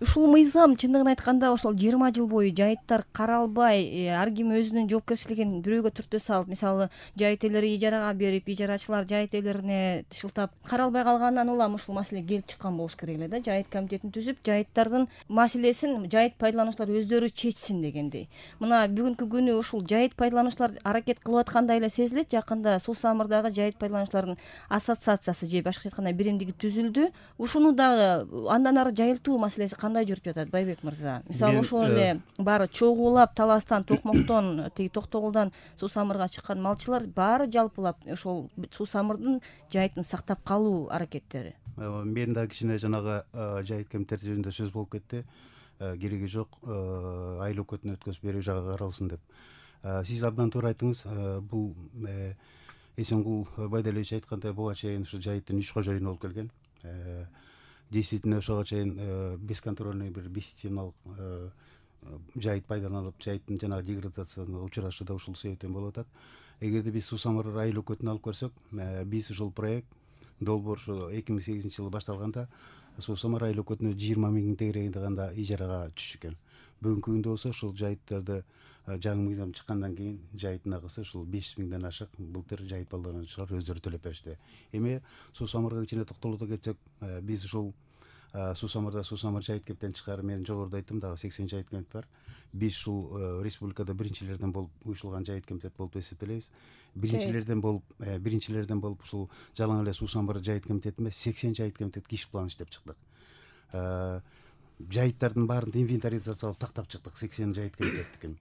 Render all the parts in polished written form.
ушул мыйзам чындыгын айтканда ошол 20 жыл бою жайыттар каралбай, ар ким өзүнүн жоопкерчилигин бирөөгө түртө салып, мисалы жайыт ээлери ижарага берип, ижарачылар жайыт ээлерине шылтап каралбай калгандан улам ушул маселе келип чыккан болуш керек эле да. Жайыт комитетин түзүп, жайыттардын маселесин жайыт пайдалануучулар өздөрү чечсин дегендей. Мына бүгүнкү күнү ушул жайыт пайдалануучулар аракет кылып аткандай эле сезилет. Жакында Суу Самырдагы жайыт пайдалануучулардын ассоциациясы же башкача айтканда биримдиги түзүлдү. Ушуну дагы андан ары жайылтуу маселеси кандай жүрүп жатат, Байбек мырза? Мисалы ошол эле баары чогуулап Таластан, Токмоктон, тиги Токтогулдан Суу Самырга чыккан малчылар баары жалпылап ошол Суу Самырдын жайытын сактап калуу аракеттери. Мен да кичине жанагы жайыт комитети жөнүндө сөз болуп кетти. Кереги жок, айлык өкмөтүн өткөзүп берүү жагы каралсын деп. Сиз абдан туура айттыңыз. Бул Эсенгул Байдалевич айткандай буга чейин ушу жайыттын 3 кожоюну болуп келген. Действительно ошого чейин бесконтрольный бир бесчисленалык жайыт пайдаланылып, жайыттын жанагы деградациясына учурашы да ушул себептен болуп атат. Эгерде биз Суу Самыр айsilik өкмөтүн алып көрсөк, биз ушул проект долбоор ушу 2008-жылы башталганда Суу Самыр айsilik өкмөтүнө 20 миңдин тегерегинде гана ижарага түшүп экен. Бүгүнкү күндө болсо ушул жайыттарды жаңы мыйзам чыккандан кийин жайыттын акысы ушул 500 миңден ашык былтыр жайыт пайдалануучулар өздөрү төлөп беришти. Эми Суу Самырга кичине токтолото кетсек, биз ушул Суу Самырда Суу Самыр жайыт комитетин чыгарып, мен жогоруда айттым, дагы 80 жайыт комитет бар. Биз ушул республикада биринчилерден болуп уюшулган жайыт комитет болуп эсептелебиз. Биринчилерден болуп ушул жалаң эле Суу Самыр жайыт комитети эмес, 80 жайыт комитет иш план иштеп чыктык. Жайыттардын баарын инвентаризациялап тактап чыктык, 80 жайыт комитеттикин.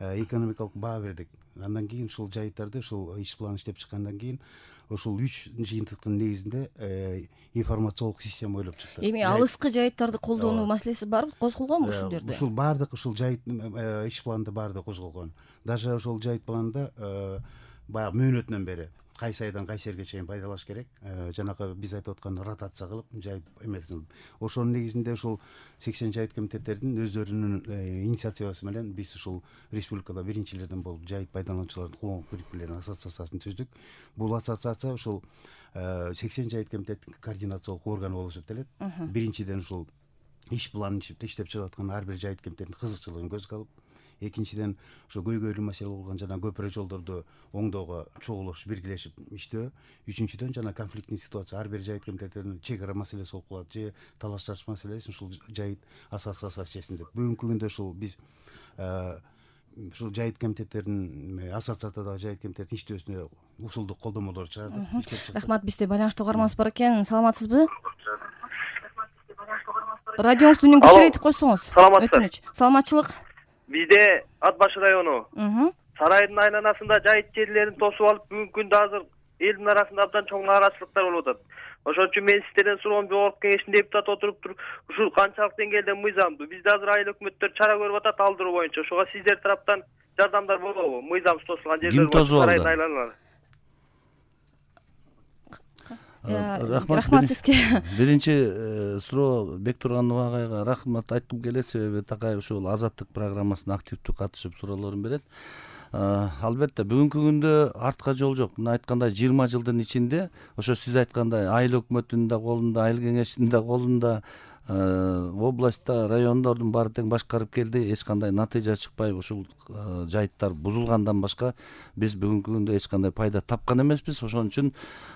Экономикалык баа бердик. Андан кийин ушул жайыттарды ушул иш план иштеп чыккандан кийин ушул 3 жыйынтыктын негизинде информациялык система ойлоп чыктык. Эми алыскы жайыттарды колдонуу маселеси бар козголгонбу ушул жерде? Ушул баардык ушул жайыт иш планында баардыгы козголгон. Даже ошол жайыт планында баягы мөөнөтүнөн бери кайсы айдан кайсы жерге чейин пайдалаш керек, жанагы биз айтып аткан ротация кылып, жайыт эмесин. Ошонун негизинде ушул 80 жайыт комитеттердин өздөрүнүн инициативасы менен биз ушул республикада биринчилерден болуп жайыт пайдалануучулардын коомдук бириктиктеринин ассоциациясын түздүк. Бул ассоциация ушул 80 жайыт комитеттин координациялык органы болуп эсептелет. Биринчиден ушул иш планын иштеп чыгып аткан ар бир жайыт комитеттин кызыкчылыгын көзгө алып, экинчиден ошо көйгөйлүү маселе болгон жана көпүрө жолдорду оңдоого чогулуш, биргелешип иштөө. Үчүнчүдөн жана конфликттин ситуация ар бир жайыт комитеттеринин чек ара маселеси болуп калат, же талаш тартыш маселеси ушул жайыт ассоциациясы чечсин деп. Бүгүнкү күндө ушул биз ушул жайыт комитеттеринин ассоциациядагы жайыт комитеттин иштөөсүнө усулдук колдомолор чыгардык, иштеп чыктык. Рахмат, бизде байланыштуу угарманыбыз бар экен. Саламатсызбы? Радионузду үнүн кичирейтип койсоңуз. Саламатсызбы? Саламатчылык. Бизде Ат башы району сарайдын айланасында жайыт жерлерин тосуп алып, бүгүнкү күндө азыр элдин арасында абдан чоң нааразычылыктар болуп атат. Ошон үчүн мен сиздерден суроом, жогорку кеңештин депутаты отуруп туруп, ушул канчалык деңгээлде мыйзамдуу бизде азыр айыл өкмөттөр чара көрүп атат алдыруу боюнча. Ошого сиздер тараптан жардамдар болобу? Мыйзам тосулган жерлер бар, сарайдын айланалары. Рахмат сизге. Биринчи суроо Бектурганова агайга рахмат айткым келет, себеби такай ушул азаттык программасына активдүү катышып суроолорун берет. Албетте бүгүнкү күндө артка жол жок. Мына айткандай 20 жылдын ичинде ошо сиз айткандай айыл өкмөтүнүн да колунда, айыл кеңешинин да колунда, областта райондордун баары тең башкарып келди. Эч кандай натыйжа чыкпай ушул жайыттар бузулгандан башка биз бүгүнкү күндө эч кандай пайда тапкан эмеспиз. Ошон үчүн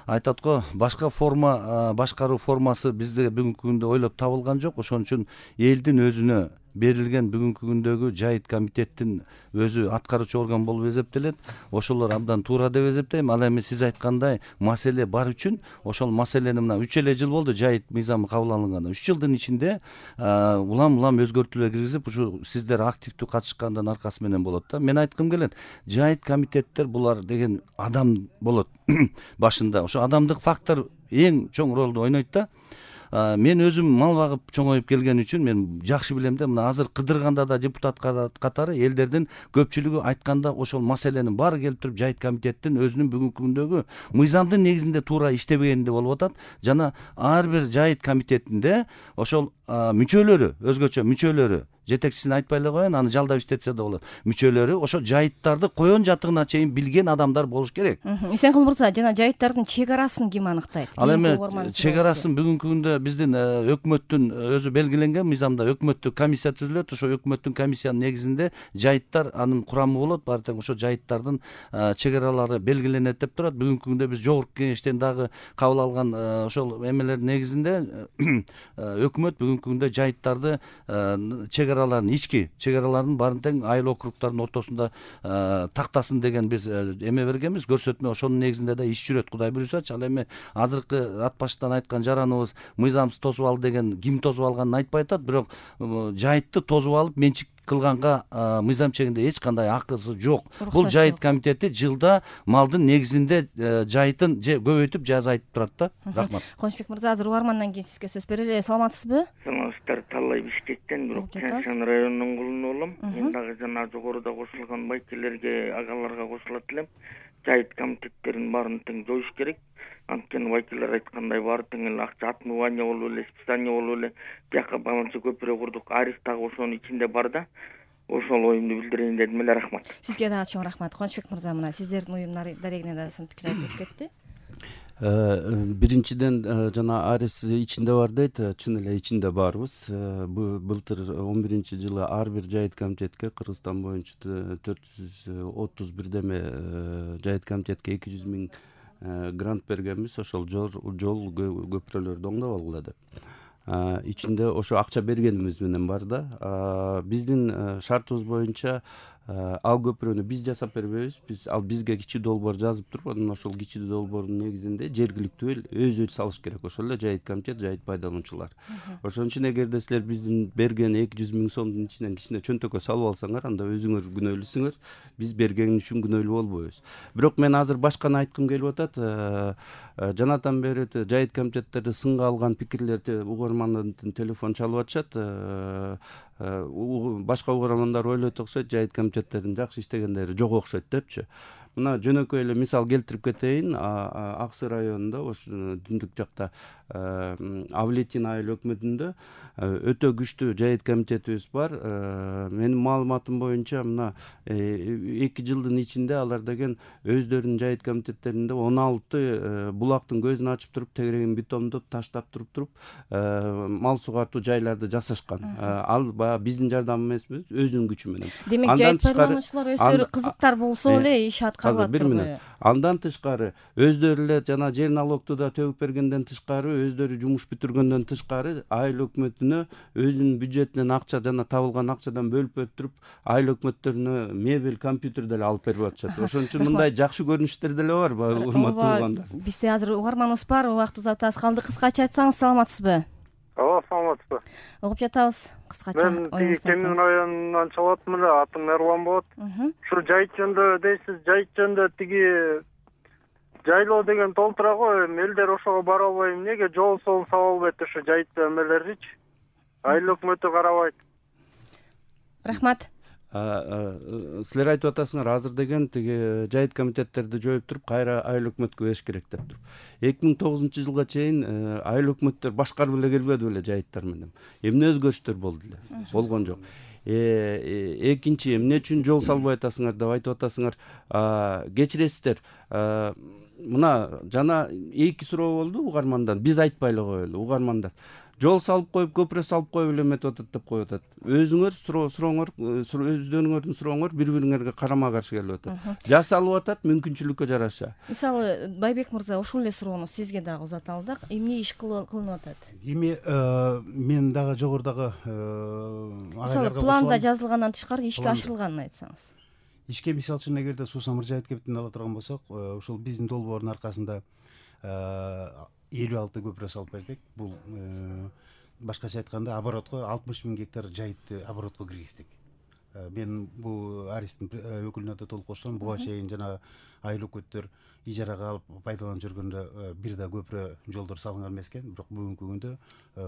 айтат го, башка форма, башкаруу формасы бизде бүгүнкү күндө ойлоп табылган жок. Ошон үчүн элдин өзүнө берилген бүгүнкү күндөгү жайыт комитеттин өзү аткаруучу орган болуп эсептелет. Ошолор абдан туура деп эсептейм. Ал эми сиз айткандай маселе бар үчүн ошол маселени мына 3 эле жыл болду жайыт мыйзамы кабыл алынганда. 3 жылдын ичинде улам өзгөртүүлөр киргизип, ушу сиздер активдүү катышкандын аркасы менен болот да. Мен айткым келет, жайыт комитеттер булар деген адам болот башында. Ошо адамдык фактор эң чоң ролду ойнойт да. Мен өзүм мал багып чоңоюп келген үчүн мен жакшы билем да, мына азыр Кыдырганда да депутат катары элдердин көпчүлүгү айтканда ошол маселенин баары келип туруп жайыт комитеттин өзүнүн бүгүнкү күндөгү мыйзамдын негизинде туура иштебегенде болуп атат. Жана ар бир жайыт комитетинде ошол мүчөлөрү, өзгөчө мүчөлөрү жетекчисин айтпай эле коеюн, аны жалдап иштетсе да болот. Мүчөлөрү ошо жайыттарды коен жатыгына чейин билген адамдар болуш керек. Эсенкул мырза, жана жайыттардын чек арасын ким аныктайт? Ал эми чек арасын бүгүнкү күндө биздин өкмөттүн өзү белгиленген мыйзамда өкмөттүк комиссия түзүлөт. Ошо өкмөттүн комиссиянын негизинде жайыттар анын курамы болот. Баары тең ошо жайыттардын чек аралары белгиленет деп турат. Бүгүнкү күндө биз жогорку кеңештен дагы кабыл алган ошол эмелердин негизинде өкмөт бүгүнкү күндө жайыттарды чек араларын, ички чек араларын баарын тең айыл округдардын ортосунда тактасын деген биз эме бергенбиз, көрсөтмө. Ошонун негизинде да иш жүрөт, Кудай буюрсачы. Ал эми азыркы ат баштан айткан жараныбыз мыйзамсыз тосуп алды деген ким тосуп алганын айтпай атат, бирок жайытты тосуп алып менчик кылганга мыйзам чегинде эч кандай акысы жок. Бул жайыт комитети жылда малдын негизинде жайытын же көбөйтүп же азайтып турат да. Рахмат. Кубанычбек мырза, азыр угармандан кийин сизге сөз берели. Саламатсызбы? Саламатсыздар. Таллай Бишкектен, бирок Чаңшан районунун кулуну болом. Мен дагы жана жогоруда кошулган байкелерге, агаларга кошулат элем. Жайыт комитеттерин баарын тең жоюш керек. Анткени байкелер айткандай баары тең эле акча отмывание болуп эле, списание болуп эле. Бияка баланча көпүрө курдук. Арис дагы ошонун ичинде бар да. Ошол оюмду билдирейин дедим эле. Рахмат. Сизге дагы чоң рахмат. Кубанычбек мырза, мына сиздердин уюмдар дарегине да сын пикир айтып кетти. Биринчиден жана арис ичинде бар дейт, чын эле ичинде барбыз. Былтыр 11-жылы ар бир жайыт комитетке Кыргызстан боюнча 431 деме жайыт комитетке 200 000 грант бергенбиз, ошол жол көпүрөлөрдү оңдоп алгыла деп. Ичинде ошо акча бергенибиз менен бар да. Биздин шартыбыз боюнча ал көпүрөнү биз жасап бербейбиз. Ал бизге кичи долбоор жазып туруп, анан ошол кичи долбоордун негизинде жергиликтүү эл өзү салыш керек. Ошол эле жайыт комитет, жайыт пайдалануучулар. Ошон үчүн эгерде силер биздин берген 200 000 сомдун ичинен кичине чөнтөккө салып алсаңар, анда өзүңөр күнөөлүүсүңөр. Биз берген үчүн күнөөлүү болбойбуз. Бирок мен азыр башканы айткым келип атат. Жанатан бери жайыт комитеттерди сынга алган пикирлерди угармандын телефон чалып атышат. Башка угармандар ойлойт окшойт, жайыт комитеттердин жакшы иштегендери жок окшойт депчи. Мына жөнөкөй эле мисал келтирип кетейин. Ак Сый районунда, ошо түндүк жакта Авлетин айыл өкмөтүндө өтө күчтүү жайыт комитетибиз бар. Менин маалыматым боюнча мына 2 жылдын ичинде алар деген өздөрүнүн жайыт комитеттеринде 16 булактын көзүн ачып туруп, тегерегин бетондоп, таштап туруп мал сугартуу жайларды жасашкан. Ал баягы биздин жардам эмеспиз, өзүнүн күчү менен. Демек жайыт пайдалануучулар өздөрү кызыктар болсо эле иш аткарылат турбайбы? Андан тышкары өздөрү эле жана жер налогду да төгүп бергенден тышкары, өздөрү жумуш бүтүргөндөн тышкары айыл өкмөтүнө өзүнүн бюджетинен акча жана табылган акчадан бөлүп берип туруп, айыл өкмөттөрүнө мебель, компьютер деле алып берип атышат. Ошон үчүн мындай жакшы көрүнүштөр деле бар, урматтуу угандар. Бизде азыр угарманыбыз бар, убактыбыз аз калды. Кыскача айтсаңыз, саламатсызбы? Ооба, саламатсызбы. Угуп жатабыз. Кыскача. Мен Кемин районунан чалып атам эле, атым Эрлан болот. Ушу жайыт жөнүндө дейсиз, жайыт жөнүндө тиги жайлоо деген толтура го, элдер ошого бара албай эмнеге жол сала албайт ушу жайыт эмелеричи? Айыл өкмөтү карабайт. Рахмат. Силер айтып атасыңар, азыр деген тиги жайыт комитеттерди жоюп туруп, кайра айыл өкмөткө бериш керек деп туруп. 2009-жылга чейин айыл өкмөттөр башкарып эле келбеди беле жайыттар менен. Эмне өзгөрүштөр болду эле? Болгон жок. Экинчи, эмне үчүн жол салбай атасыңар деп айтып атасыңар. Кечиресиздер. Мына жана 2 суроо болду угармандан. Биз айтпай эле коелу, угармандар. Жол салып коюп, көпүрө салып коюп эле эметип атат деп коюп атат. Өзүңөр сурооңор, өздөрүңөрдүн сурооңор бири-бириңерге карама-каршы келип атат. Жасалып атат мүмкүнчүлүккө жараша. Мисалы, Байбек мырза, ушул эле суроону сизге дагы узата алдык. Эмне иш кылынып атат? Эми мен дагы жогорудагы мисалы планда жазылгандан тышкары ишке ашырылганын айтсаңыз. Ишке мисалы үчүн эгерде Суу Самыр жайыт кебитин ала турган болсок, ушул биздин долбоордун аркасында 56 көпүрө салып бердик. Бул башкача айтканда оборотко 60 000 гектар жайытты оборотко киргиздик. Мен бул Аристин өкүлүнө да толук кошулам. Буга чейин жана айыл өкмөттөр ижарага алып пайдаланып жүргөндө бир да көпүрө жолдор салынган эмес экен. Бирок бүгүнкү күндө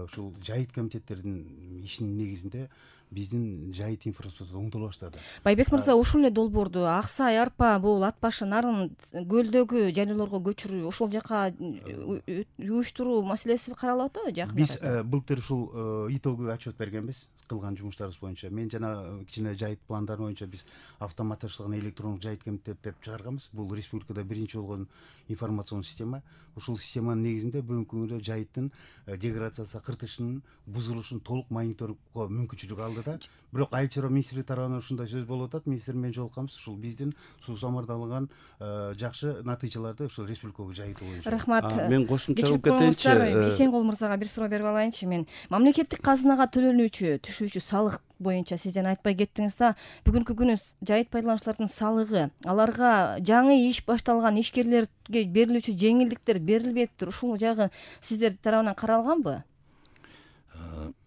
ушул жайыт комитеттердин ишинин негизинде биздин жайыт инфраструктура оңдоло баштады. Байбек мырза, ушул эле долбоорду Ак Сай, Арпа, бул Ат башы, Нарын көлдөгү жайлоолорго көчүрүү, ошол жака жууштуруу маселеси каралып атабы жакында? Биз былтыр ушул итогу отчет бергенбиз кылган жумуштарыбыз боюнча. Мен жана кичине жайыт пландары боюнча биз автоматташтырылган электрондук жайыт комитет деп чыгарганбыз. Бул республикада биринчи болгон информацион система. Ушул системанын негизинде бүгүнкү күндө жайыттын деградация кыртышынын бузулушун толук мониторингко мүмкүнчүлүк алды да. Бирок айыл чарба министрлиги тарабынан ушундай сөз болуп атат. Министр менен жолукканбыз. Ушул биздин суу самырдалган жакшы натыйжаларды ушул республикага жайыты боюнча. Рахмат. Мен кошумча кылып кетейинчи. Эсенгол мырзага бир суроо берип алайынчы мен. Мамлекеттик казынага төлөнүүчү, түшүүчү салык боюнча сиз жана айтпай кеттиңиз да, бүгүнкү күнү жайыт пайдалануучулардын салыгы, аларга жаңы иш башталган ишкерлерге берилүүчү жеңилдиктер берилбептир. Ушул жагы сиздер тарабынан каралганбы?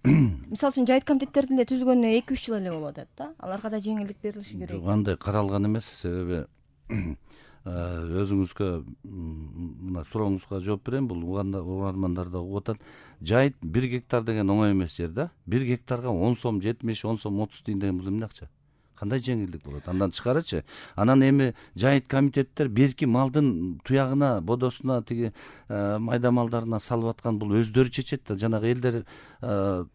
Мисалы үчүн жайыт комитеттердин эле түзүлгөнүнө 2-3 жыл эле болуп атат да. Аларга да жеңилдик берилиши керек. Жок, андай каралган эмес. Себеби өзүңүзгө мына сурооңузга жооп берейин. Бул угармандар да угуп атат. Жайыт 1 гектар деген оңой эмес жер да. 1 гектарга 10 сом 70, 10 сом 30 тиын деген бул эмне акча? Кандай жеңилдик болот? Андан тышкарычы, анан эми жайыт комитеттер берки малдын туягына, бодосуна, тиги майда малдарына салып аткан бул өздөрү чечет да. Жанагы элдер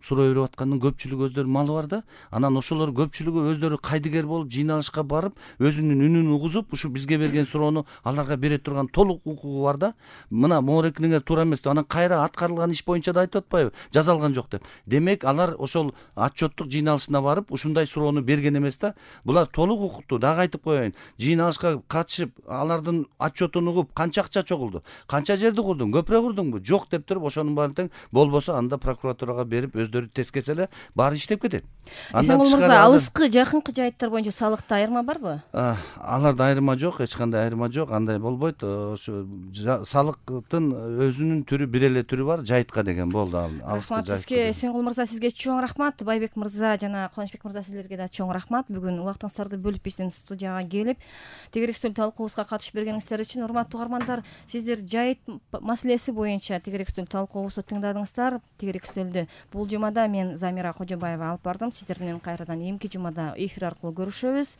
суроо берип аткандын көпчүлүгү өздөрүнүн малы бар да. Анан ошолор көпчүлүгү өздөрү кайдыгер болуп, жыйналышка барып, өзүнүн үнүн угузуп, ушу бизге берген суроону аларга бере турган толук укугу бар да. Мына моорекиңер туура эмес деп, анан кайра аткарылган иш боюнча да айтып атпайбы? Жазалган жок деп. Демек алар ошол отчеттук жыйналышына барып, ушундай суроону берген эмес да. Булар толук укуктуу. Дагы айтып коеюн. Жыйналышка катышып, алардын отчетун угуп, канча акча чогулду? Канча жерди курдуң? Көпүрө курдуңбу? Жок деп туруп, ошонун баарын тең болбосо анда прокуратурага берип, өздөрү тескесе эле баары иштеп кетет. Андан тышкары алыскы, жакынкы жайыттар боюнча салыкта айырма барбы? Аларда айырма жок, эч кандай айырма жок. Андай болбойт. Ошо салыктын өзүнүн түрү, бир эле түрү бар, жайытка деген болду. Рахмат сизге, Эсенгул мырза, сизге чоң рахмат. Байбек мырза жана Кубанычбек мырза, сиздерге да чоң рахмат. Бүгүн убактыңыздарды бөлүп биздин студияга келип, тегерек стөл талкуубузга катышып бергениңиздер үчүн. Урматтуу угармандар, сиздер жайыт маселеси боюнча тегерек стөл талкуубузду тыңдадыңыздар. Тегерек стөлдү бул жумада мен Замира Кожобаева алып бардым. Сиздер менен кайрадан эмки жумада эфир аркылуу көрүшөбүз.